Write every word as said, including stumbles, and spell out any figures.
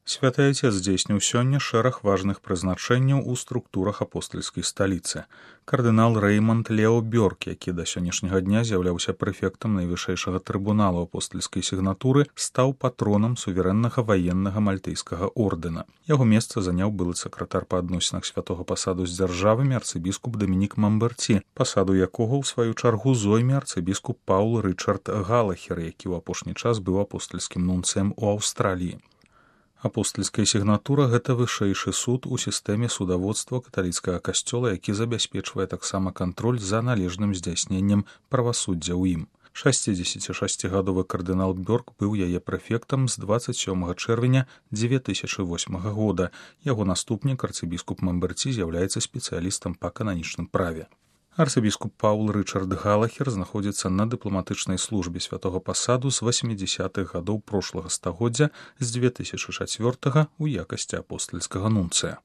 Святы Отец здзейсніў сёння шэраг важных прызначэнняў у структурах апостальскай сталіцы. Кардынал Рэймонд Лео Бёрк, які да сённяшняга дня з'яўляўся прэфектам найвышэйшага трыбуналу апостальскай сігнатуры, стаў патронам суверэннага ваеннага мальтыйскага ордэна. Яго месца заняў былы сакратар па адносінах святога пасаду з дзяржавамі арцыбіскуп Дамінік Мамберці, пасаду якога ў сваю чаргу зойме арцыбіскуп Паул Рычард Галахер, які ў апошні час быў апостальскім нунцыем у Аўстраліі. Апостальская сігнатура – гэта вышэйшы суд у сістэме судаводства каталіцкага касцёла, які забяспечвае таксама кантроль за належным здзяйсненнем правасуддзя ў ім. шасцідзесяцішасцігадовы кардынал Бёрк быў яе прэфектам з дваццаць сёмага чэрвеня дзве тысячы восьмага года. Яго наступнік, арцыбіскуп Мамберці, з'яўляецца спецыялістам па кананічным праве. Арцыбіскуп Паул Рычард Галахер знаходзіцца на дыпламатычнай службе святога пасаду з васьмідзясятых гадоў прошлага стагоддзя з дзве тысячы чацвёртага ў якасці апостальскага нунцыя.